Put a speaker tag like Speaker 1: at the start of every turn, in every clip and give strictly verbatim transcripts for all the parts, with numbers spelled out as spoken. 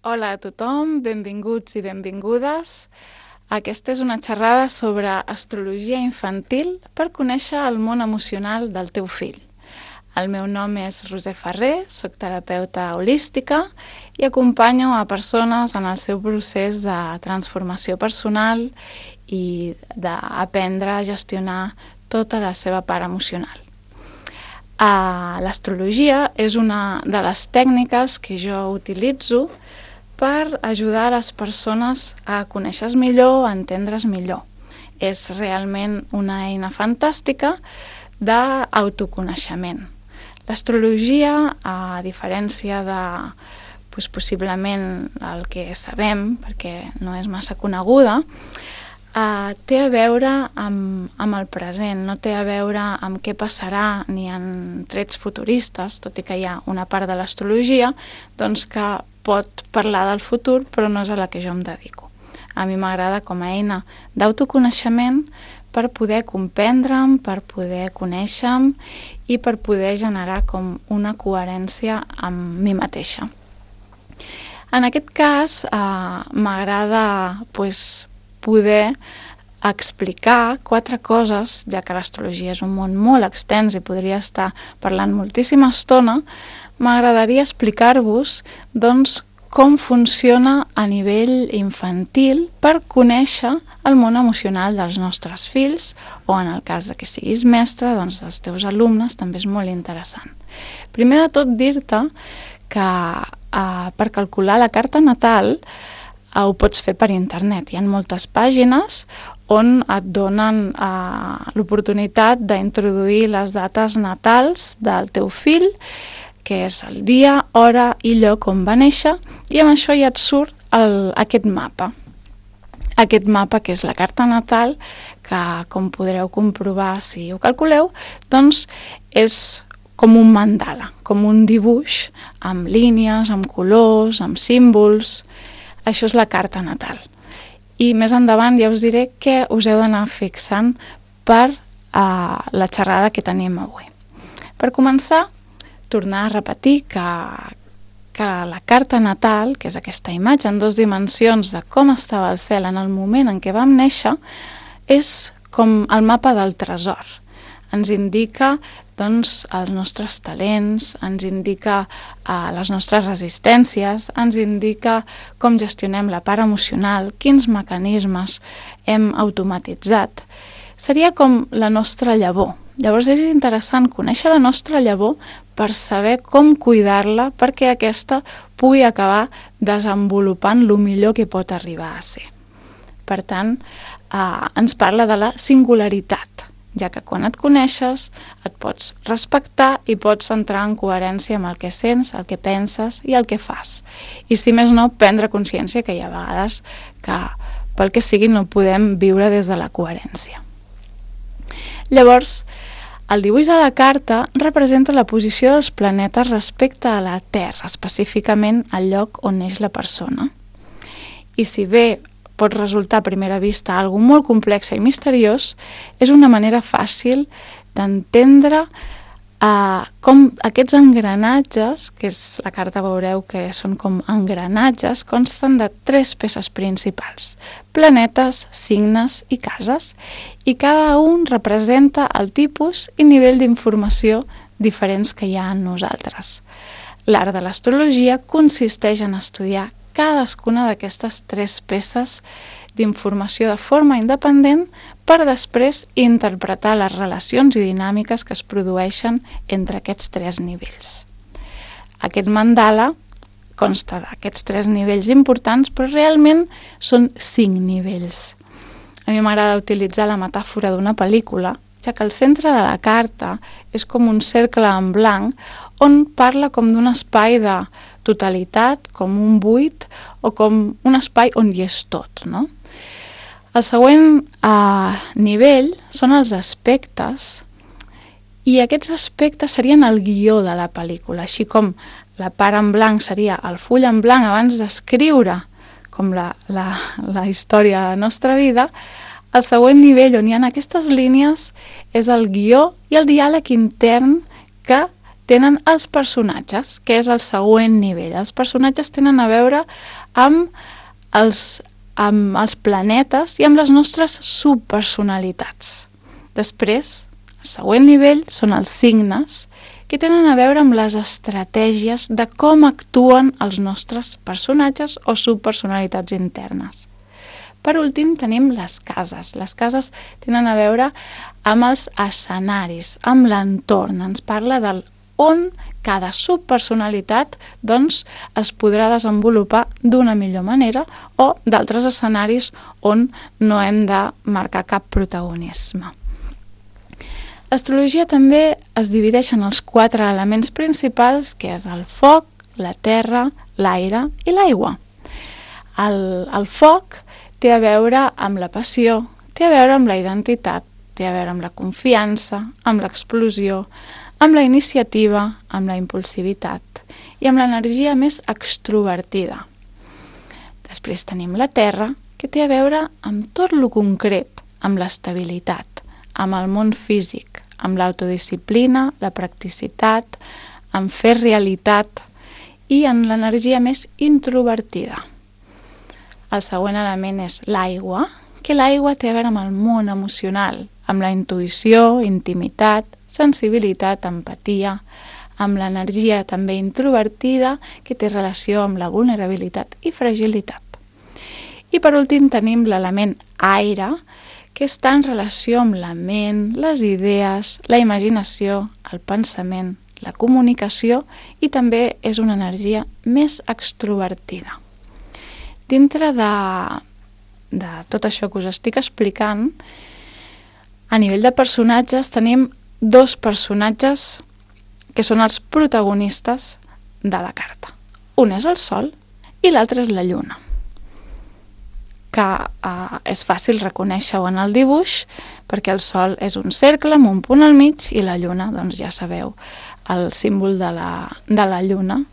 Speaker 1: Hola a tothom, benvinguts i benvingudes. Aquesta és una xerrada sobre astrologia infantil per conèixer el món emocional del teu fill. El meu nom és Roser Ferrer, soc terapeuta holística i acompanyo a persones en el seu procés de transformació personal i d'aprendre a gestionar tota la seva part emocional. Uh, L'astrologia és una de les tècniques que jo utilitzo per ajudar a les persones a conèixer-se millor, a entendre's millor. És realment una eina fantàstica d'autoconeixement. L'astrologia, a diferència de doncs, possiblement el que sabem, perquè no és massa coneguda, Uh, té a veure amb, amb el present, no té a veure amb què passarà ni en trets futuristes, tot i que hi ha una part de l'astrologia doncs, que pot parlar del futur, però no és a la que jo em dedico. A mi m'agrada com a eina d'autoconeixement per poder comprendre'm, per poder conèixer-me i per poder generar com una coherència amb mi mateixa. En aquest cas, uh, m'agrada pues, poder explicar quatre coses, ja que l'astrologia és un món molt extens i podria estar parlant moltíssima estona, m'agradaria explicar-vos doncs, com funciona a nivell infantil per conèixer el món emocional dels nostres fills o en el cas de que siguis mestre, doncs dels teus alumnes també és molt interessant. Primer de tot dir-te que eh, per calcular la carta natal ho pots fer per internet. Hi ha moltes pàgines on et donen eh, l'oportunitat d'introduir les dates natals del teu fill, que és el dia, hora i lloc on va néixer, i amb això ja et surt el, aquest mapa. Aquest mapa, que és la carta natal, que com podreu comprovar si ho calculeu, doncs és com un mandala, com un dibuix amb línies, amb colors, amb símbols. Això és la carta natal. I més endavant ja us diré què us heu d'anar fixant per uh, la xerrada que tenim avui. Per començar, tornar a repetir que, que la carta natal, que és aquesta imatge en dues dimensions de com estava el cel en el moment en què vam néixer, és com el mapa del tresor. Ens indica doncs, els nostres talents, ens indica uh, les nostres resistències, ens indica com gestionem la part emocional, quins mecanismes hem automatitzat. Seria com la nostra llavor. Llavors és interessant conèixer la nostra llavor per saber com cuidar-la perquè aquesta pugui acabar desenvolupant el millor que pot arribar a ser. Per tant, uh, ens parla de la singularitat, ja que quan et coneixes et pots respectar i pots entrar en coherència amb el que sents, el que penses i el que fas. I si més no, prendre consciència que hi ha vegades que pel que sigui no podem viure des de la coherència. Llavors, el dibuix de la carta representa la posició dels planetes respecte a la Terra, específicament al lloc on neix la persona. I si bé pot resultar a primera vista algo molt complex i misteriós, és una manera fàcil d'entendre uh, com aquests engranatges, que és la carta veureu que són com engranatges, consten de tres peces principals: planetes, signes i cases, i cada un representa el tipus i nivell d'informació diferents que hi ha en nosaltres. L'art de l'astrologia consisteix en estudiar cadascuna d'aquestes tres peces d'informació de forma independent per després interpretar les relacions i dinàmiques que es produeixen entre aquests tres nivells. Aquest mandala consta d'aquests tres nivells importants, però realment són cinc nivells. A mi m'agrada utilitzar la metàfora d'una pel·lícula, ja que el centre de la carta és com un cercle en blanc on parla com d'un espai de totalitat, com un buit o com un espai on hi és tot, no? El següent eh, nivell són els aspectes, i aquests aspectes serien el guió de la pel·lícula, així com la part en blanc seria el full en blanc abans d'escriure com la, la, la història de la nostra vida. El següent nivell on hi ha aquestes línies és el guió i el diàleg intern que tenen els personatges, que és el següent nivell. Els personatges tenen a veure amb els, amb els planetes i amb les nostres subpersonalitats. Després, el següent nivell són els signes, que tenen a veure amb les estratègies de com actuen els nostres personatges o subpersonalitats internes. Per últim, tenim les cases. Les cases tenen a veure amb els escenaris, amb l'entorn. Ens parla del on cada subpersonalitat doncs, es podrà desenvolupar d'una millor manera o d'altres escenaris on no hem de marcar cap protagonisme. L'astrologia també es divideix en els quatre elements principals, que és el foc, la terra, l'aire i l'aigua. El, el foc té a veure amb la passió, té a veure amb la identitat, té a veure amb la confiança, amb l'explosió, amb la iniciativa, amb la impulsivitat i amb l'energia més extrovertida. Després tenim la terra, que té a veure amb tot lo concret, amb l'estabilitat, amb el món físic, amb l'autodisciplina, la practicitat, amb fer realitat i en l'energia més introvertida. El següent element és l'aigua, que l'aigua té a veure amb el món emocional, amb la intuïció, intimitat, sensibilitat, empatia, amb l'energia també introvertida que té relació amb la vulnerabilitat i fragilitat. I per últim tenim l'element aire, que està en relació amb la ment, les idees, la imaginació, el pensament, la comunicació i també és una energia més extrovertida. Dintre de, de tot això que us estic explicant, a nivell de personatges tenim dos personatges que són els protagonistes de la carta. Un és el Sol i l'altre és la Lluna, que eh, és fàcil reconèixer-ho en el dibuix perquè el Sol és un cercle amb un punt al mig i la Lluna, doncs ja sabeu, el símbol de la, de la Lluna,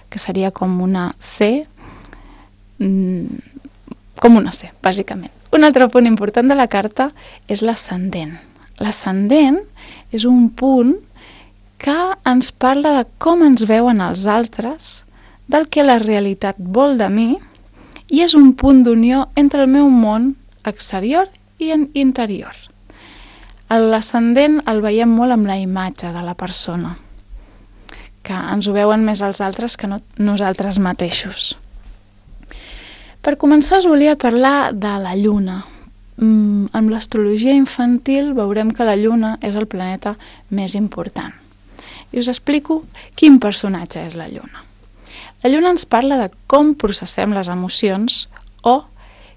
Speaker 1: que seria com una C, com una C, bàsicament. Un altre punt important de la carta és l'ascendent. L'ascendent és un punt que ens parla de com ens veuen els altres, del que la realitat vol de mi, i és un punt d'unió entre el meu món exterior i interior. L'ascendent el veiem molt amb la imatge de la persona, que ens ho veuen més els altres que no nosaltres mateixos. Per començar us volia parlar de la Lluna. Mm, amb l'astrologia infantil veurem que la Lluna és el planeta més important. I us explico quin personatge és la Lluna. La Lluna ens parla de com processem les emocions o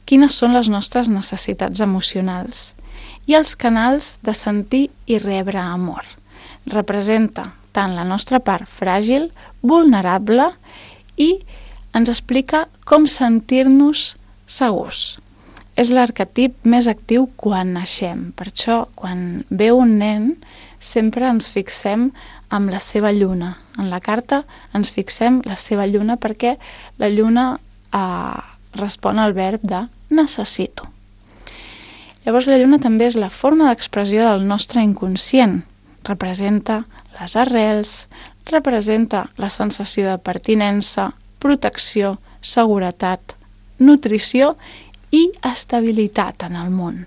Speaker 1: quines són les nostres necessitats emocionals i els canals de sentir i rebre amor. Representa tant la nostra part fràgil, vulnerable i ens explica com sentir-nos segurs. És l'arquetip més actiu quan naixem. Per això, quan ve un nen, sempre ens fixem amb la seva lluna. En la carta ens fixem la seva lluna perquè la lluna eh, respon al verb de necessito. Llavors la lluna també és la forma d'expressió del nostre inconscient. Representa les arrels, representa la sensació de pertinença, protecció, seguretat, nutrició i estabilitat en el món.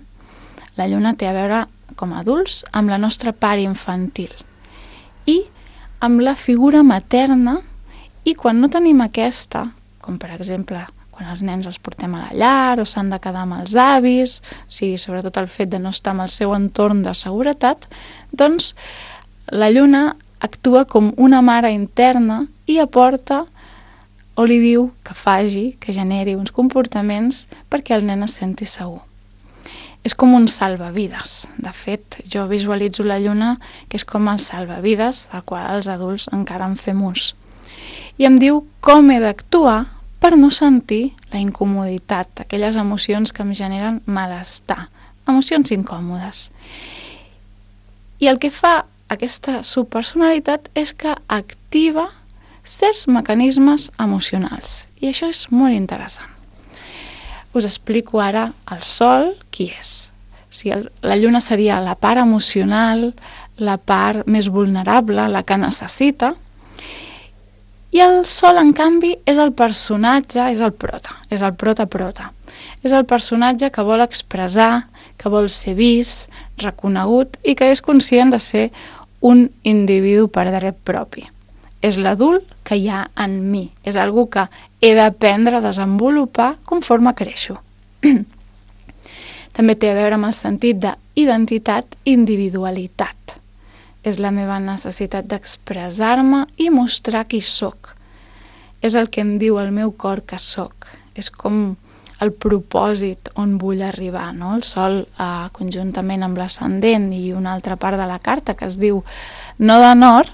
Speaker 1: La lluna té a veure, com a adults, amb la nostra part infantil i amb la figura materna, i quan no tenim aquesta, com per exemple quan els nens els portem a la llar o s'han de quedar amb els avis, o sigui, sobretot el fet de no estar en el seu entorn de seguretat, doncs la lluna actua com una mare interna i aporta o li diu que faci, que generi uns comportaments perquè el nen es senti segur. És com un salvavides. De fet, jo visualitzo la lluna que és com el salvavides al qual els adults encara en fem ús. I em diu com he d'actuar per no sentir la incomoditat, aquelles emocions que em generen malestar, emocions incòmodes. I el que fa aquesta subpersonalitat és que activa certs mecanismes emocionals. I això és molt interessant. Us explico ara el Sol qui és. sigui, el, la lluna seria la part emocional, la part més vulnerable, la que necessita, i el sol, en canvi, és el personatge, és el prota, és el prota-prota. És el personatge que vol expressar, que vol ser vist, reconegut i que és conscient de ser un individu per dret propi. És l'adult que hi ha en mi, és algú que he d'aprendre a desenvolupar conforme creixo. També té a veure amb el sentit d'identitat i individualitat. És la meva necessitat d'expressar-me i mostrar qui sóc. És el que em diu el meu cor que sóc. És com el propòsit on vull arribar, no? El sol, eh, conjuntament amb l'ascendent i una altra part de la carta que es diu no de nord,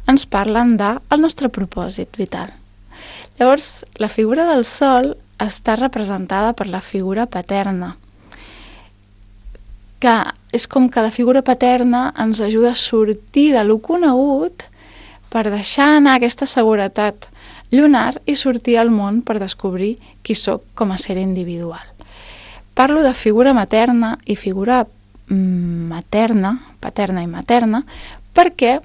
Speaker 1: ens parlen del nostre propòsit vital. Llavors, la figura del sol està representada per la figura paterna, que és com que la figura paterna ens ajuda a sortir de lo conegut per deixar anar aquesta seguretat lunar i sortir al món per descobrir qui sóc com a ser individual. Parlo de figura materna i figura materna, paterna i materna, perquè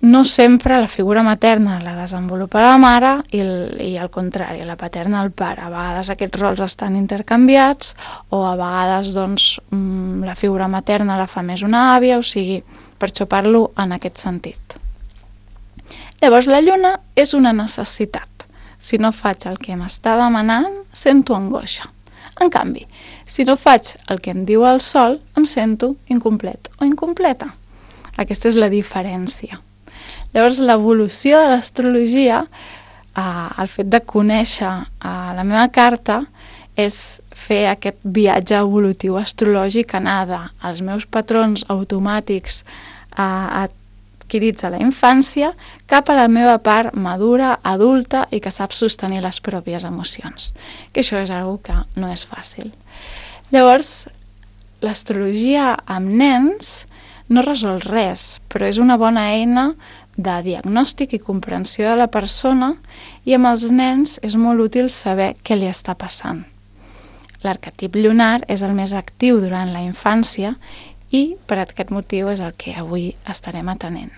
Speaker 1: no sempre la figura materna la desenvolupa la mare i, el, i al contrari, la paterna el pare. A vegades aquests rols estan intercanviats o a vegades doncs, la figura materna la fa més una àvia, o sigui, per això parlo en aquest sentit. Llavors la lluna és una necessitat. Si no faig el que m'està demanant, sento angoixa. En canvi, si no faig el que em diu el sol, em sento incomplet o incompleta. Aquesta és la diferència. Llavors, l'evolució de l'astrologia, eh, el fet de conèixer eh, la meva carta, és fer aquest viatge evolutiu astrològic, anar dels meus patrons automàtics eh, adquirits a la infància cap a la meva part madura, adulta i que sap sostenir les pròpies emocions. Que això és una cosa que no és fàcil. Llavors, l'astrologia amb nens no resol res, però és una bona eina de diagnòstic i comprensió de la persona i amb els nens és molt útil saber què li està passant. L'arquetip lunar és el més actiu durant la infància i per aquest motiu és el que avui estarem atenent.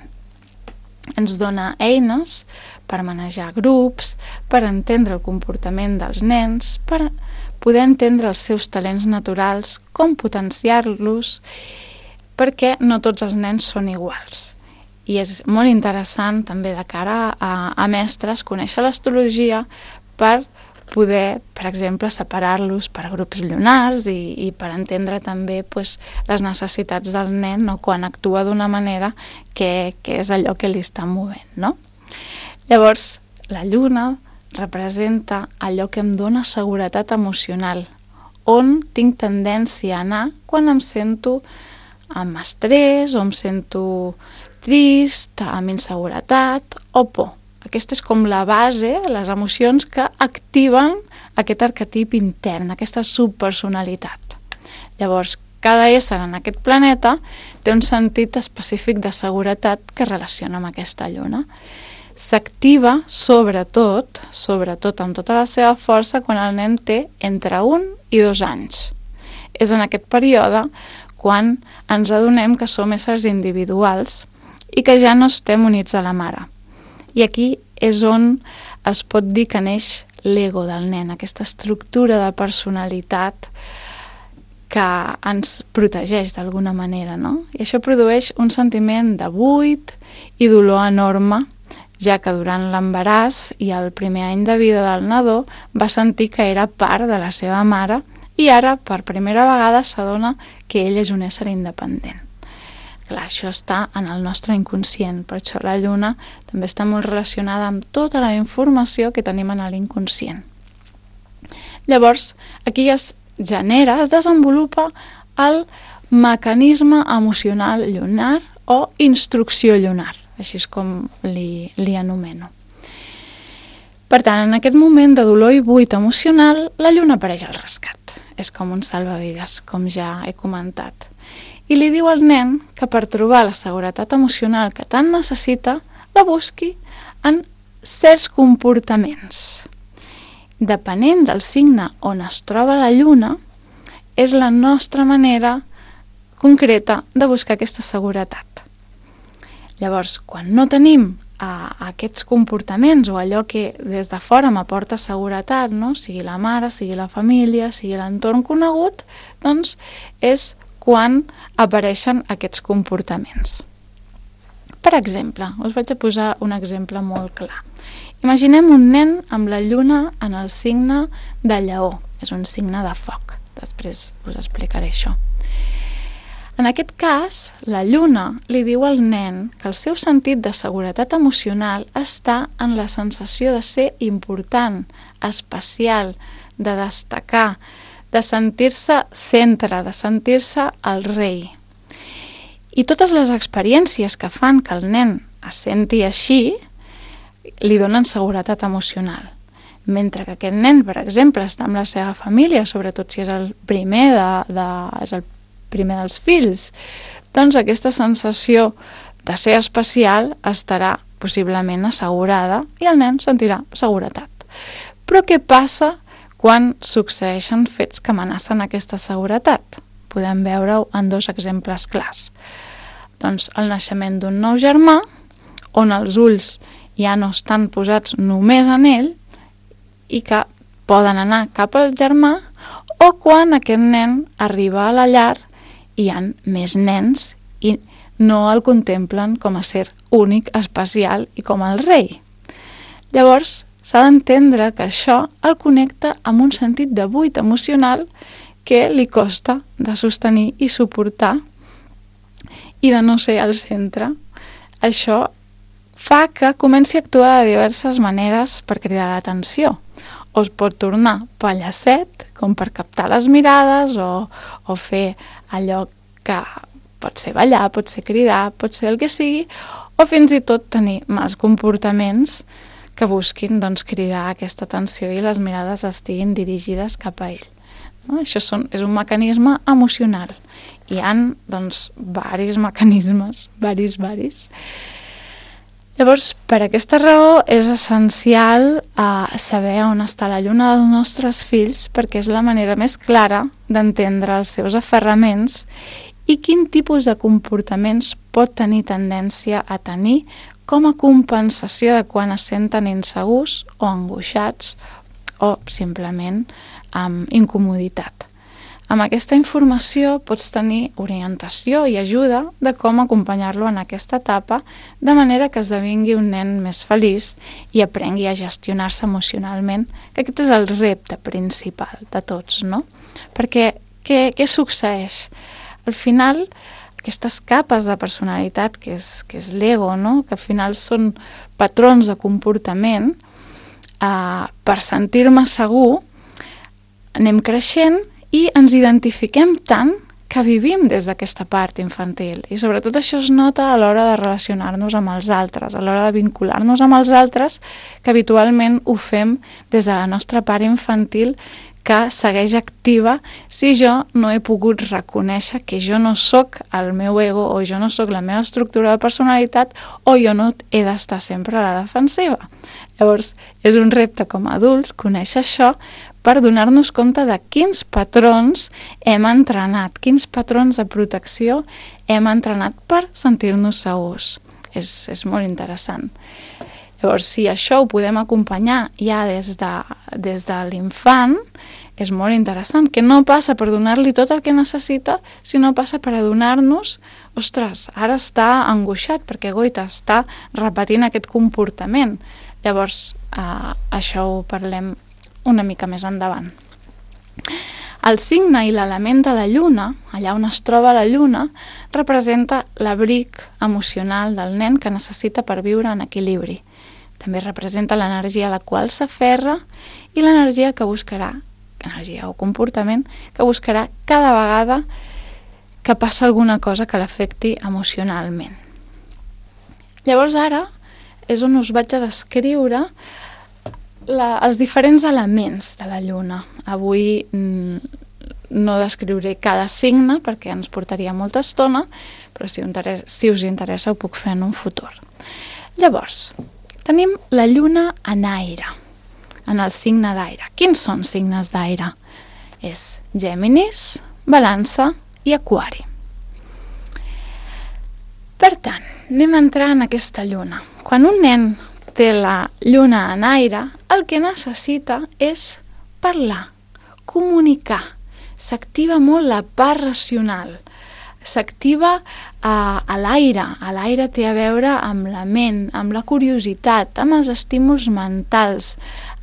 Speaker 1: Ens dona eines per manejar grups, per entendre el comportament dels nens, per poder entendre els seus talents naturals, com potenciar-los, perquè no tots els nens són iguals. I és molt interessant també de cara a, a mestres conèixer l'astrologia per poder, per exemple, separar-los per grups lunars i, i per entendre també pues, les necessitats del nen, no? Quan actua d'una manera que, que és allò que li està movent. No? Llavors, la lluna representa allò que em dona seguretat emocional, on tinc tendència a anar quan em sento amb estrès o em sento trist, amb inseguretat o por. Aquesta és com la base, les emocions que activen aquest arquetip intern, aquesta subpersonalitat. Llavors, cada ésser en aquest planeta té un sentit específic de seguretat que es relaciona amb aquesta lluna. S'activa sobretot, sobretot amb tota la seva força, quan el nen té entre un i dos anys. És en aquest període quan ens adonem que som éssers individuals i que ja no estem units a la mare. I aquí és on es pot dir que neix l'ego del nen, aquesta estructura de personalitat que ens protegeix d'alguna manera, no? I això produeix un sentiment de buit i dolor enorme, ja que durant l'embaràs i el primer any de vida del nadó va sentir que era part de la seva mare i ara, per primera vegada, s'adona que ell és un ésser independent. Clar, això està en el nostre inconscient, per això la lluna també està molt relacionada amb tota la informació que tenim en l'inconscient. Llavors, aquí es genera, es desenvolupa el mecanisme emocional lunar o instrucció lunar, així és com li, li anomeno. Per tant, en aquest moment de dolor i buit emocional, la lluna apareix al rescat. És com un salvavides, com ja he comentat. I li diu al nen que per trobar la seguretat emocional que tant necessita, la busqui en certs comportaments. Depenent del signe on es troba la lluna, és la nostra manera concreta de buscar aquesta seguretat. Llavors, quan no tenim a aquests comportaments o allò que des de fora m'aporta seguretat, no? Sigui la mare, sigui la família, sigui l'entorn conegut, doncs és quan apareixen aquests comportaments. Per exemple, us vaig a posar un exemple molt clar. Imaginem un nen amb la lluna en el signe de Lleó. És un signe de foc. Després us explicaré això. En aquest cas, la lluna li diu al nen que el seu sentit de seguretat emocional està en la sensació de ser important, especial, de destacar, de sentir-se centre, de sentir-se el rei. I totes les experiències que fan que el nen es senti així li donen seguretat emocional. Mentre que aquest nen, per exemple, està amb la seva família, sobretot si és el primer de, de, és el primer dels fills, doncs aquesta sensació de ser especial estarà possiblement assegurada i el nen sentirà seguretat. Però què passa quan succeeixen fets que amenacen aquesta seguretat? Podem veure-ho en dos exemples clars. Doncs el naixement d'un nou germà, on els ulls ja no estan posats només en ell i que poden anar cap al germà, o quan aquest nen arriba a la llar hi ha més nens i no el contemplen com a ser únic, especial i com el rei. Llavors, s'ha d'entendre que això el connecta amb un sentit de buit emocional que li costa de sostenir i suportar i de no ser al centre. Això fa que comenci a actuar de diverses maneres per cridar l'atenció. O es pot tornar pallacet, com per captar les mirades, o, o fer allò que pot ser ballar, pot ser cridar, pot ser el que sigui, o fins i tot tenir mals comportaments que busquin doncs, cridar aquesta atenció i les mirades estiguin dirigides cap a ell. No? Això són, és un mecanisme emocional. Hi ha doncs, varis mecanismes, varis, varis. Llavors, per aquesta raó és essencial eh, saber on està la lluna dels nostres fills perquè és la manera més clara d'entendre els seus aferraments i quin tipus de comportaments pot tenir tendència a tenir com a compensació de quan es senten insegurs o angoixats o simplement amb incomoditat. Amb aquesta informació pots tenir orientació i ajuda de com acompanyar-lo en aquesta etapa de manera que esdevingui un nen més feliç i aprengui a gestionar-se emocionalment, que aquest és el repte principal de tots, no? Perquè què, què succeeix? Al final, aquestes capes de personalitat, que és, que és l'ego, no? Que al final són patrons de comportament, eh, per sentir-me segur, anem creixent i ens identifiquem tant que vivim des d'aquesta part infantil. I sobretot això es nota a l'hora de relacionar-nos amb els altres, a l'hora de vincular-nos amb els altres, que habitualment ho fem des de la nostra part infantil que segueix activa si jo no he pogut reconèixer que jo no sóc el meu ego o jo no sóc la meva estructura de personalitat o jo no he d'estar sempre a la defensiva. Llavors, és un repte com a adults conèixer això per donar-nos compte de quins patrons hem entrenat, quins patrons de protecció hem entrenat per sentir-nos segurs. És, és molt interessant. Llavors, si això ho podem acompanyar ja des de, des de l'infant, és molt interessant, que no passa per donar-li tot el que necessita, sinó passa per adonar-nos, ostres, ara està angoixat perquè goita, està repetint aquest comportament. Llavors, eh, això ho parlem una mica més endavant. El signe i l'element de la lluna, allà on es troba la lluna, representa l'abric emocional del nen que necessita per viure en equilibri. També representa l'energia a la qual s'aferra i l'energia que buscarà, energia o comportament, que buscarà cada vegada que passa alguna cosa que l'afecti emocionalment. Llavors ara és on us vaig a descriure la, els diferents elements de la lluna. Avui mm, no descriuré cada signe perquè ens portaria molta estona, però si, si us interessa ho puc fer en un futur. Llavors, tenim la lluna en aire, en el signe d'aire. Quins són signes d'aire? És Géminis, Balança i Aquari. Per tant, anem a entrar en aquesta lluna. Quan un nen té la lluna en aire, el que necessita és parlar, comunicar. S'activa molt la part racional. S'activa eh, a l'aire. A l'aire té a veure amb la ment, amb la curiositat, amb els estímuls mentals,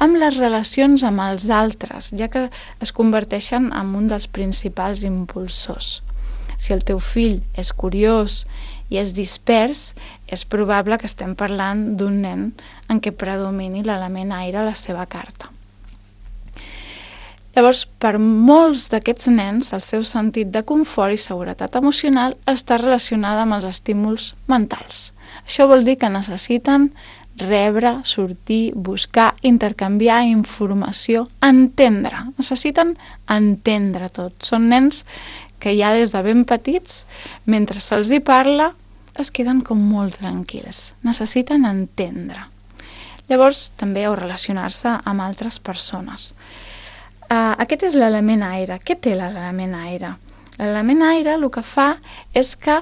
Speaker 1: amb les relacions amb els altres, ja que es converteixen en un dels principals impulsors. Si el teu fill és curiós i és dispers, és probable que estem parlant d'un nen en què predomini l'element aire a la seva carta. Llavors, per molts d'aquests nens, el seu sentit de confort i seguretat emocional està relacionada amb els estímuls mentals. Això vol dir que necessiten rebre, sortir, buscar, intercanviar informació, entendre. Necessiten entendre tot. Són nens que ja des de ben petits, mentre se'ls hi parla, es queden com molt tranquils. Necessiten entendre. Llavors, també o relacionar-se amb altres persones. Uh, aquest és l'element aire. Què té l'element aire? L'element aire el que fa és que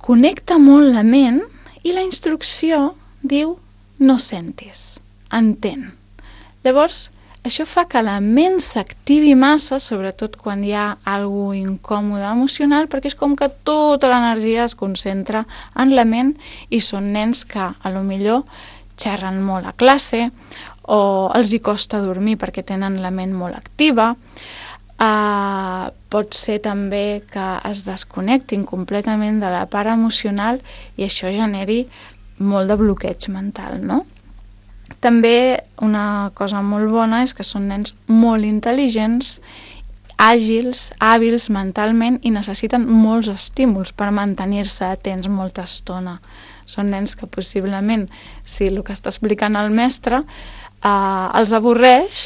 Speaker 1: connecta molt la ment i la instrucció diu no sentis, entén. Llavors, això fa que la ment s'activi massa, sobretot quan hi ha alguna cosa incòmoda emocional, perquè és com que tota l'energia es concentra en la ment i són nens que a lo millor xerren molt a classe o els hi costa dormir perquè tenen la ment molt activa. Uh, pot ser també que es desconnectin completament de la part emocional i això generi molt de bloqueig mental, no? També una cosa molt bona és que són nens molt intel·ligents, àgils, hàbils mentalment i necessiten molts estímuls per mantenir-se atents molta estona. Són nens que possiblement, si el que està explicant el mestre eh, els avorreix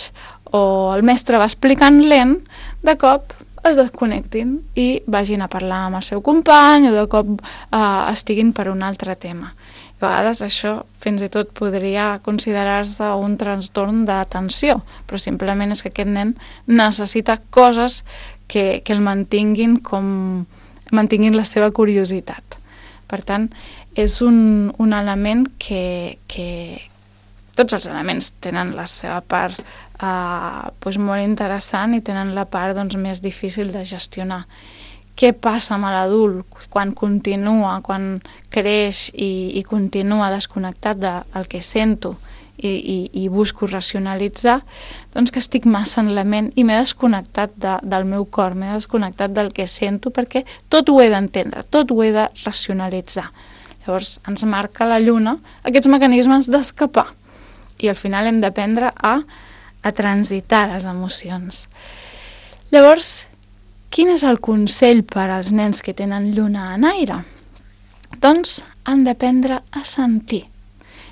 Speaker 1: o el mestre va explicant lent, de cop es desconnectin i vagin a parlar amb el seu company o de cop eh, estiguin per un altre tema. A vegades això fins i tot podria considerar-se un trastorn d'atenció, però simplement és que aquest nen necessita coses que, que el mantinguin com mantinguin la seva curiositat. Per tant, és un, un element que, que tots els elements tenen la seva part eh, doncs molt interessant i tenen la part doncs, més difícil de gestionar. Què passa amb l'adult quan continua, quan creix i, i continua desconnectat del que sento i, i, i busco racionalitzar? Doncs que estic massa en la ment i m'he desconnectat de, del meu cor, m'he desconnectat del que sento perquè tot ho he d'entendre, tot ho he de racionalitzar. Llavors ens marca la lluna aquests mecanismes d'escapar i al final hem d'aprendre a, a transitar les emocions. Llavors, quin és el consell per als nens que tenen lluna en aire? Doncs han d'aprendre a sentir.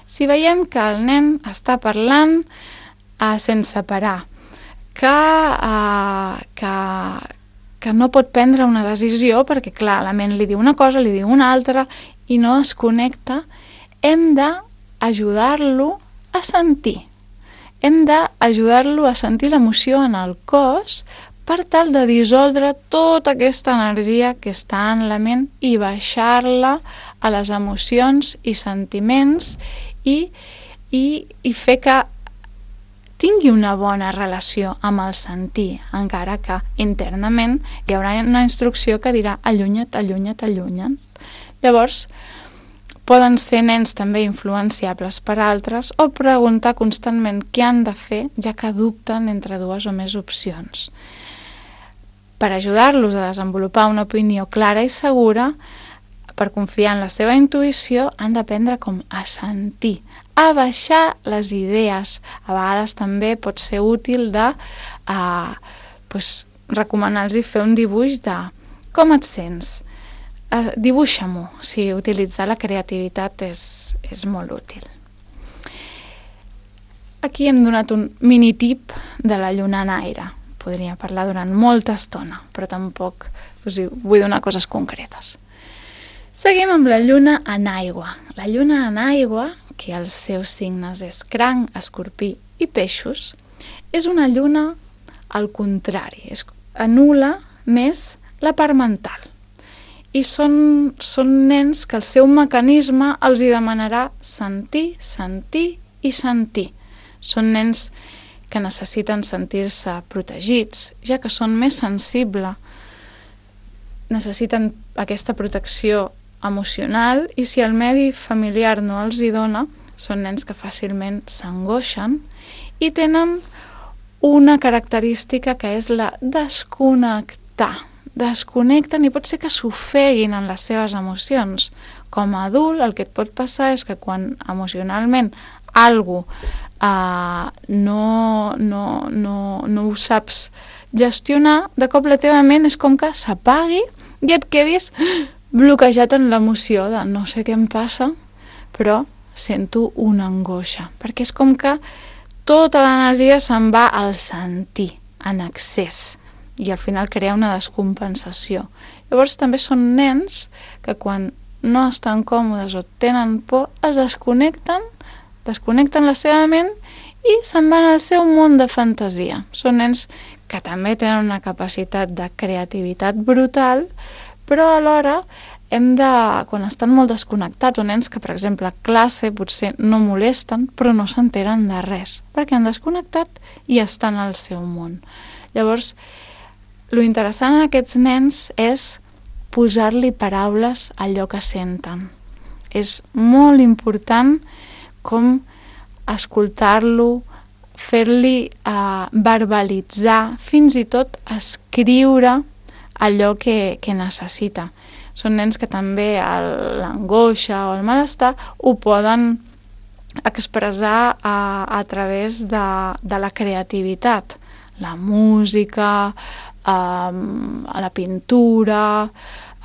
Speaker 1: Si veiem que el nen està parlant eh, sense parar, que, eh, que, que no pot prendre una decisió perquè, clar, la ment li diu una cosa, li diu una altra i no es connecta, hem d'ajudar-lo a sentir. Hem d'ajudar-lo a sentir l'emoció en el cos per tal de dissoldre tota aquesta energia que està en la ment i baixar-la a les emocions i sentiments i, i, i fer que tingui una bona relació amb el sentir, encara que internament hi haurà una instrucció que dirà allunya't, allunya't, allunya't. Llavors, poden ser nens també influenciables per altres o preguntar constantment què han de fer, ja que dubten entre dues o més opcions. Per ajudar-los a desenvolupar una opinió clara i segura, per confiar en la seva intuïció, han d'aprendre com a sentir, a baixar les idees. A vegades també pot ser útil de eh, pues, recomanar-los fer un dibuix de com et sents. Eh, dibuixa-m'ho, si utilitzar la creativitat és, és molt útil. Aquí hem donat un mini tip de la lluna en aire. Podria parlar durant molta estona, però tampoc us vull donar coses concretes. Seguim amb la lluna en aigua. La lluna en aigua, que els seus signes és cranc, escorpí i peixos, és una lluna al contrari, es anul·la més la part mental. I són, són nens que el seu mecanisme els hi demanarà sentir, sentir i sentir. Són nens que necessiten sentir-se protegits, ja que són més sensibles, necessiten aquesta protecció emocional i si el medi familiar no els hi dona, són nens que fàcilment s'angoixen i tenen una característica que és la desconnectar. Desconnecten i pot ser que s'ofeguin en les seves emocions. Com a adult, el que et pot passar és que quan emocionalment algo uh, no, no, no, no ho saps gestionar, de cop la teva ment és com que s'apagui i et quedis bloquejat en l'emoció de no sé què em passa, però sento una angoixa, perquè és com que tota l'energia se'n va al sentir, en excés, i al final crea una descompensació. Llavors també són nens que quan no estan còmodes o tenen por, es desconnecten, desconnecten la seva ment i se'n van al seu món de fantasia. Són nens que també tenen una capacitat de creativitat brutal, però alhora hem de, quan estan molt desconnectats, o nens que, per exemple, a classe potser no molesten, però no s'enteren de res, perquè han desconnectat i estan al seu món. Llavors, lo interessant en aquests nens és posar-li paraules a allò que senten. És molt important com escoltar-lo, fer-li uh, verbalitzar, fins i tot escriure allò que, que necessita. Són nens que també l'angoixa o el malestar ho poden expressar a, a través de, de la creativitat. La música, um, la pintura,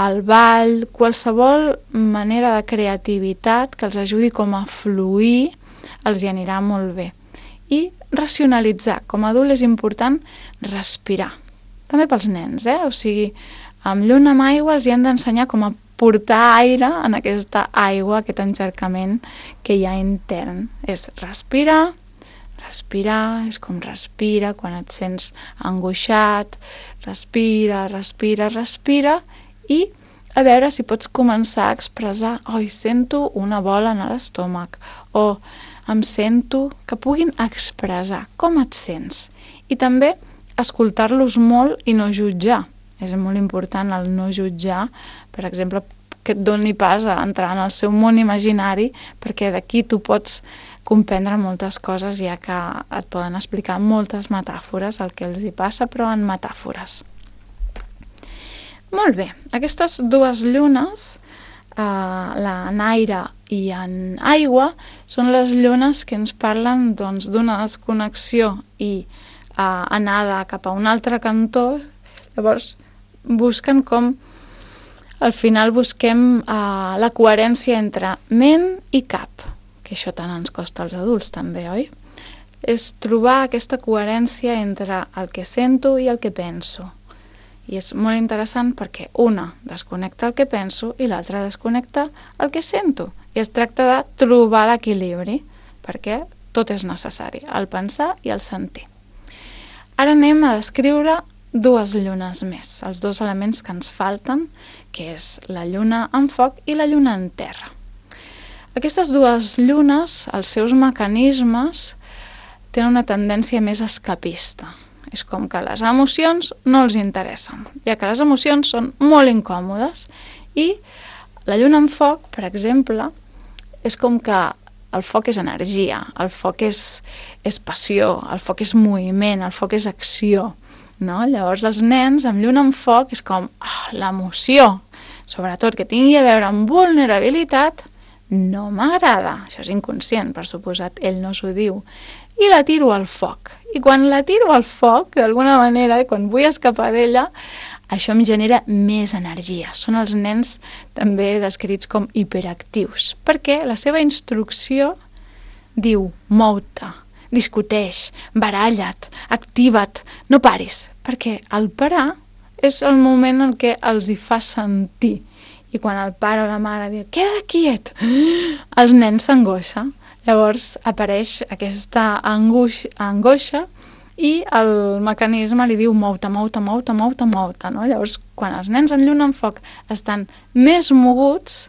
Speaker 1: el ball, qualsevol manera de creativitat que els ajudi com a fluir els hi anirà molt bé. I racionalitzar. Com a adult és important respirar. També pels nens, eh? O sigui, amb lluna amb aigua els hi han d'ensenyar com a portar aire en aquesta aigua, aquest enxercament que hi ha intern. És respirar, respirar, és com respira quan et sents angoixat, respira, respira, respira, i a veure si pots començar a expressar, oi, sento una bola en l'estómac, o em sento, que puguin expressar com et sents. I també escoltar-los molt i no jutjar. És molt important el no jutjar, per exemple, que et doni pas a entrar en el seu món imaginari, perquè d'aquí tu pots comprendre moltes coses, ja que et poden explicar moltes metàfores, el que els hi passa, però en metàfores. Molt bé, aquestes dues llunes, eh, la en aire i en aigua, són les llunes que ens parlen doncs, d'una desconnexió i eh, anada cap a un altre cantó. Llavors busquen com al final busquem uh, la coherència entre ment i cap, que això tant ens costa als adults també, oi? És trobar aquesta coherència entre el que sento i el que penso. I és molt interessant perquè una desconnecta el que penso i l'altra desconnecta el que sento. I es tracta de trobar l'equilibri, perquè tot és necessari, el pensar i el sentir. Ara anem a descriure dues llunes més, els dos elements que ens falten, que és la lluna en foc i la lluna en terra. Aquestes dues llunes, els seus mecanismes, tenen una tendència més escapista. És com que les emocions no els interessen, ja que les emocions són molt incòmodes. I la lluna en foc, per exemple, és com que el foc és energia, el foc és, és passió, el foc és moviment, el foc és acció. No? Llavors els nens amb lluna en foc és com oh, l'emoció, sobretot que tingui a veure amb vulnerabilitat, no m'agrada. Això és inconscient, per suposat, ell no s'ho diu. I la tiro al foc. I quan la tiro al foc, d'alguna manera, quan vull escapar d'ella, això em genera més energia. Són els nens també descrits com hiperactius, perquè la seva instrucció diu mou-te, discuteix, baralla't, activa't, no paris, perquè el parar és el moment en què els hi fa sentir. I quan el pare o la mare diu, queda quiet, els nens s'angoixa. Llavors apareix aquesta angoixa, angoixa i el mecanisme li diu mou-te, mou-te, mou-te, mou-te, mou-te, no? Llavors, quan els nens en lluna en foc estan més moguts,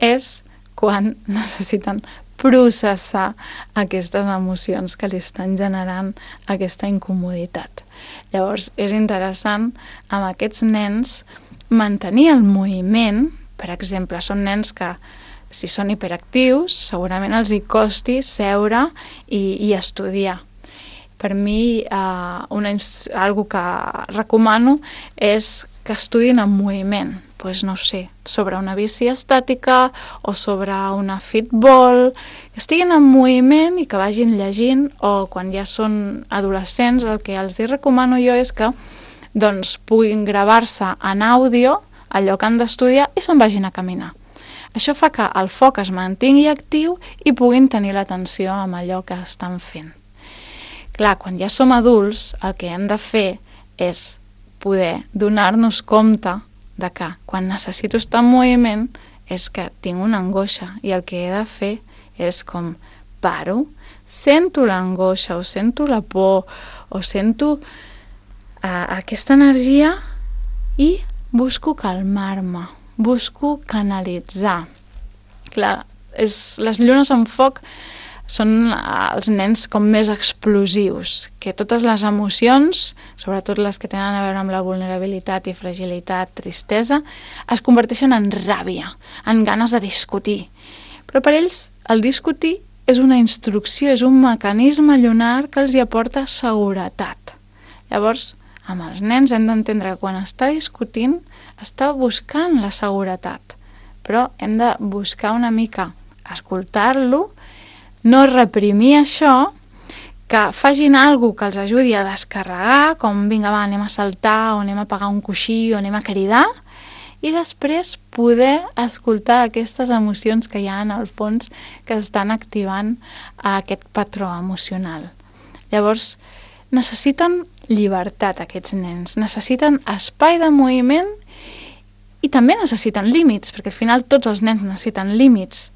Speaker 1: és quan necessiten processar aquestes emocions que li estan generant aquesta incomoditat. Llavors, és interessant amb aquests nens mantenir el moviment. Per exemple, són nens que, si són hiperactius, segurament els hi costi seure i, i estudiar. Per mi, eh, una, algo que recomano és que estudin en moviment, pues no sé, sobre una bici estàtica o sobre una fitball, que estiguin en moviment i que vagin llegint, o quan ja són adolescents, el que els recomano jo és que doncs, puguin gravar-se en àudio allò que han d'estudiar i se'n vagin a caminar. Això fa que el foc es mantingui actiu i puguin tenir l'atenció amb allò que estan fent. Clar, quan ja som adults, el que hem de fer és poder donar-nos compte de que quan necessito estar en moviment és que tinc una angoixa i el que he de fer és com paro, sento l'angoixa o sento la por o sento uh, aquesta energia i busco calmar-me, busco canalitzar. Clar, és, les llunes en foc són els nens com més explosius, que totes les emocions, sobretot les que tenen a veure amb la vulnerabilitat i fragilitat, tristesa, es converteixen en ràbia, en ganes de discutir. Però per ells el discutir és una instrucció, és un mecanisme llunar que els hi aporta seguretat. Llavors, amb els nens hem d'entendre que quan està discutint està buscant la seguretat, però hem de buscar una mica escoltar-lo, no reprimir això, que facin alguna cosa que els ajudi a descarregar, com vinga va, anem a saltar, o anem a pagar un coixí, o anem a cridar, i després poder escoltar aquestes emocions que hi ha en el fons que estan activant aquest patró emocional. Llavors, necessiten llibertat aquests nens, necessiten espai de moviment i també necessiten límits, perquè al final tots els nens necessiten límits,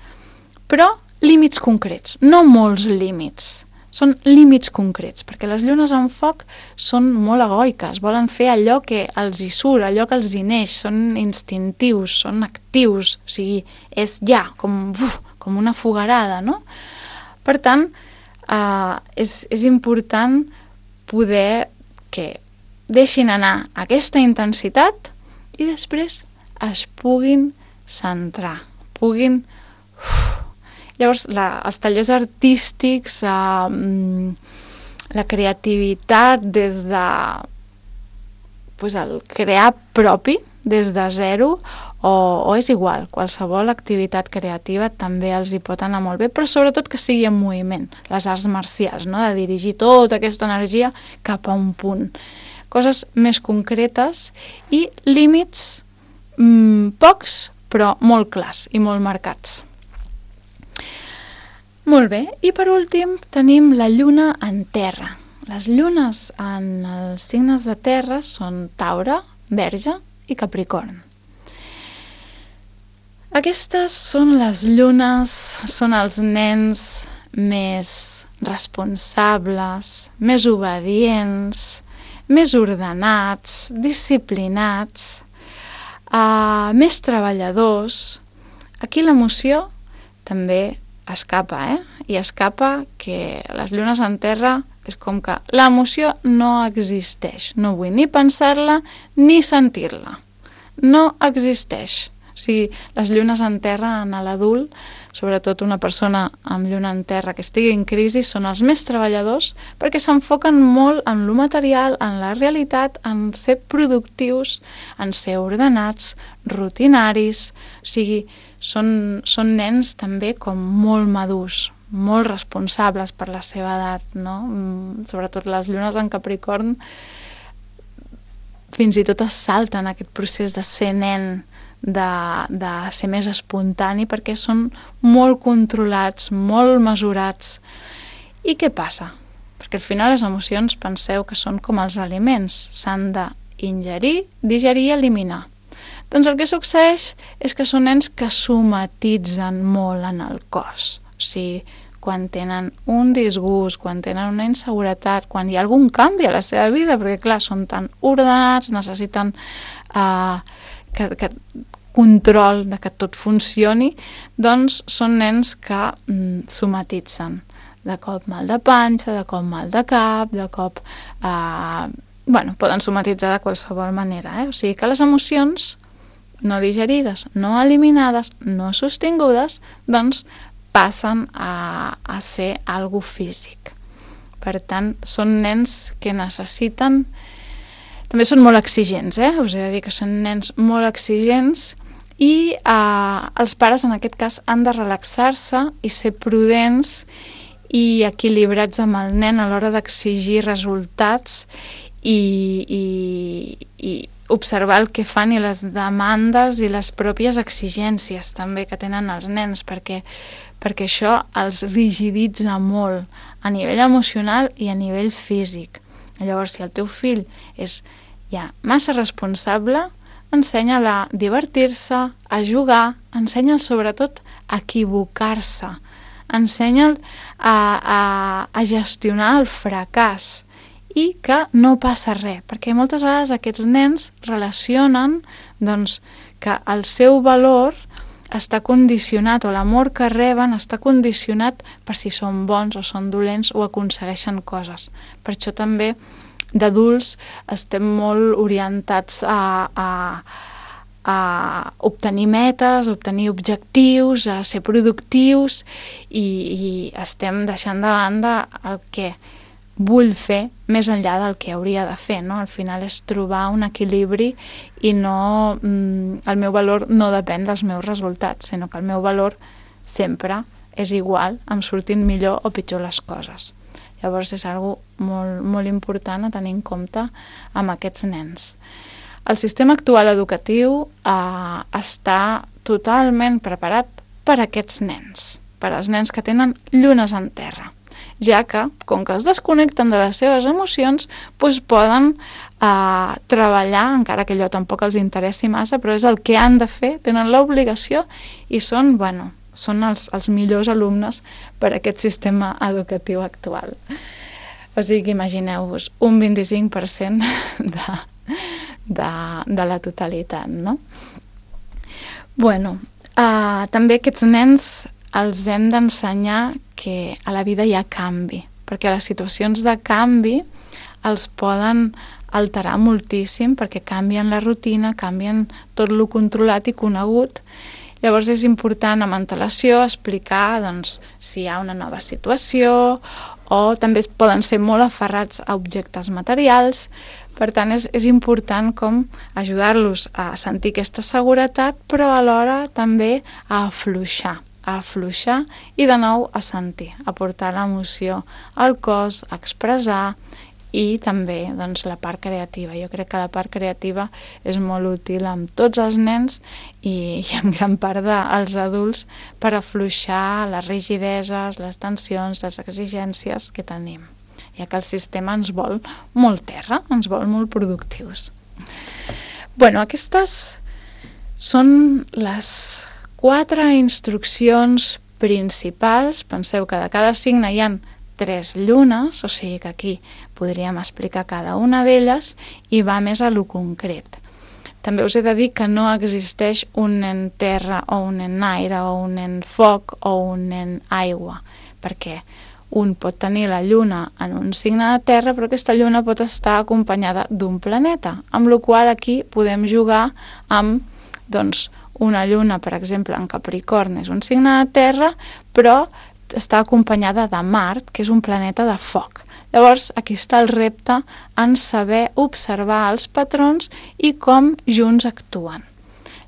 Speaker 1: però límits concrets, no molts límits. Són límits concrets, perquè les llunes en foc són molt egoiques, volen fer allò que els hi surt, allò que els hi neix, són instintius, són actius, o sigui, és ja, com, uf, com una fogarada, no? Per tant, eh, és, és important poder que deixin anar aquesta intensitat i després es puguin centrar, puguin... Uf, llavors, la, els tallers artístics, eh, la creativitat des de pues, el crear propi, des de zero, o, o és igual, qualsevol activitat creativa també els hi pot anar molt bé, però sobretot que sigui en moviment, les arts marcials, no? De dirigir tota aquesta energia cap a un punt. Coses més concretes i límits mm, pocs, però molt clars i molt marcats. Molt bé, i per últim tenim la lluna en terra. Les llunes en els signes de terra són Taure, Verge i Capricorn. Aquestes són les llunes, són els nens més responsables, més obedients, més ordenats, disciplinats, uh, més treballadors. Aquí l'emoció també escapa, eh? I escapa que les llunes en terra és com que l'emoció no existeix. No vull ni pensar-la ni sentir-la. No existeix. O sigui, les llunes en terra en l'adult, sobretot una persona amb lluna en terra que estigui en crisi, són els més treballadors perquè s'enfoquen molt en lo material, en la realitat, en ser productius, en ser ordenats, rutinaris. O sigui, són, són nens també com molt madurs, molt responsables per la seva edat, no? Sobretot les llunes en Capricorn fins i tot es salten aquest procés de ser nen, de, de ser més espontani, perquè són molt controlats, molt mesurats. I què passa? Perquè al final les emocions penseu que són com els aliments, s'han d'ingerir, digerir i eliminar. Doncs el que succeeix és que són nens que somatitzen molt en el cos. O sigui, quan tenen un disgust, quan tenen una inseguretat, quan hi ha algun canvi a la seva vida, perquè clar, són tan ordenats, necessiten uh, que, que control de que tot funcioni, doncs són nens que mm, somatitzen. De cop mal de panxa, de cop mal de cap, de cop... Uh, bueno, poden somatitzar de qualsevol manera, eh? O sigui que les emocions no digerides, no eliminades, no sostingudes, doncs passen a, a ser algo físic. Per tant, són nens que necessiten... També són molt exigents, eh? Us he de dir que són nens molt exigents i eh, els pares, en aquest cas, han de relaxar-se i ser prudents i equilibrats amb el nen a l'hora d'exigir resultats i, i, i observar el que fan i les demandes i les pròpies exigències també que tenen els nens, perquè, perquè això els rigiditza molt a nivell emocional i a nivell físic. Llavors, si el teu fill és ja massa responsable, ensenya-la a divertir-se, a jugar, ensenya-el sobretot a equivocar-se, ensenya-el a, a, a gestionar el fracàs i que no passa res, perquè moltes vegades aquests nens relacionen doncs, que el seu valor està condicionat, o l'amor que reben està condicionat per si són bons o són dolents o aconsegueixen coses. Per això també d'adults estem molt orientats a, a, a obtenir metes, a obtenir objectius, a ser productius i, i estem deixant de banda el que vull fer més enllà del que hauria de fer, no? Al final és trobar un equilibri i no, mm, el meu valor no depèn dels meus resultats, sinó que el meu valor sempre és igual, em surtin millor o pitjor les coses. Llavors és algo molt, molt important a tenir en compte amb aquests nens. El sistema actual educatiu eh, està totalment preparat per a aquests nens, per als nens que tenen llunes en terra, ja que, com que es desconnecten de les seves emocions, doncs poden eh, treballar, encara que allò tampoc els interessi massa, però és el que han de fer, tenen l'obligació i són, bueno, són els, els millors alumnes per a aquest sistema educatiu actual. O sigui que imagineu-vos un vint-i-cinc per cent de, de, de la totalitat, no? Bueno, eh, també aquests nens els hem d'ensenyar que a la vida hi ha canvi, perquè les situacions de canvi els poden alterar moltíssim perquè canvien la rutina, canvien tot lo controlat i conegut. Llavors és important amb antelació explicar doncs, si hi ha una nova situació o també poden ser molt aferrats a objectes materials. Per tant, és, és important com ajudar-los a sentir aquesta seguretat, però alhora també a afluixar. a afluixar i de nou a sentir, a portar l'emoció al cos, a expressar i també doncs, la part creativa. Jo crec que la part creativa és molt útil amb tots els nens i, i en gran part dels adults per afluixar les rigideses, les tensions, les exigències que tenim, ja que el sistema ens vol molt terra, ens vol molt productius. Bueno, aquestes són les quatre instruccions principals. Penseu que de cada signe hi ha tres llunes, o sigui que aquí podríem explicar cada una d'elles i va més a lo concret. També us he de dir que no existeix un nen terra o un nen aire o un nen foc o un nen aigua, perquè un pot tenir la lluna en un signe de terra, però aquesta lluna pot estar acompanyada d'un planeta, amb la qual aquí podem jugar amb, doncs, una lluna, per exemple, en Capricorn és un signe de terra, però està acompanyada de Mart, que és un planeta de foc. Llavors, aquí està el repte en saber observar els patrons i com junts actuen.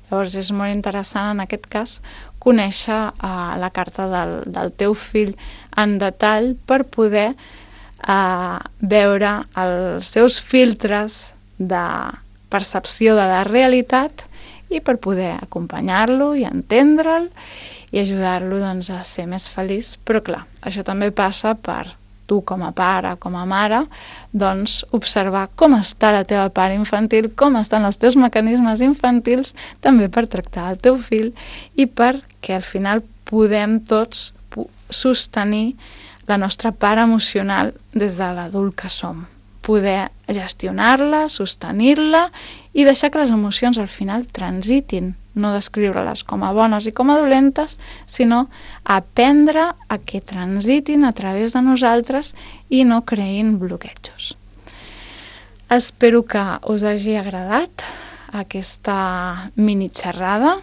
Speaker 1: Llavors, és molt interessant, en aquest cas, conèixer uh, la carta del, del teu fill en detall per poder uh, veure els seus filtres de percepció de la realitat i per poder acompanyar-lo i entendre'l i ajudar-lo doncs, a ser més feliç. Però clar, això també passa per tu com a pare, com a mare, doncs observar com està la teva part infantil, com estan els teus mecanismes infantils, també per tractar el teu fill i perquè al final podem tots sostenir la nostra part emocional des de l'adult que som. Poder gestionar-la, sostenir-la i deixar que les emocions al final transitin, no descriure-les com a bones i com a dolentes, sinó aprendre a que transitin a través de nosaltres i no creïn bloquejos. Espero que us hagi agradat aquesta mini xerrada.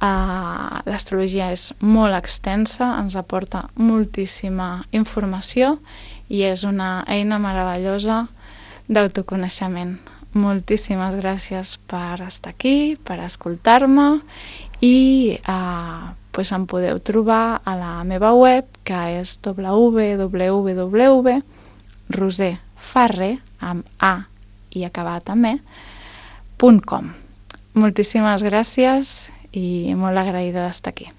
Speaker 1: Uh, l'astrologia és molt extensa, ens aporta moltíssima informació i és una eina meravellosa d'autoconeixement. Moltíssimes gràcies per estar aquí, per escoltar-me i uh, pues em podeu trobar a la meva web, que és w w w punt roserfarré amb A i acabat amb E punt com. Moltíssimes gràcies i molt agraïda d'estar aquí.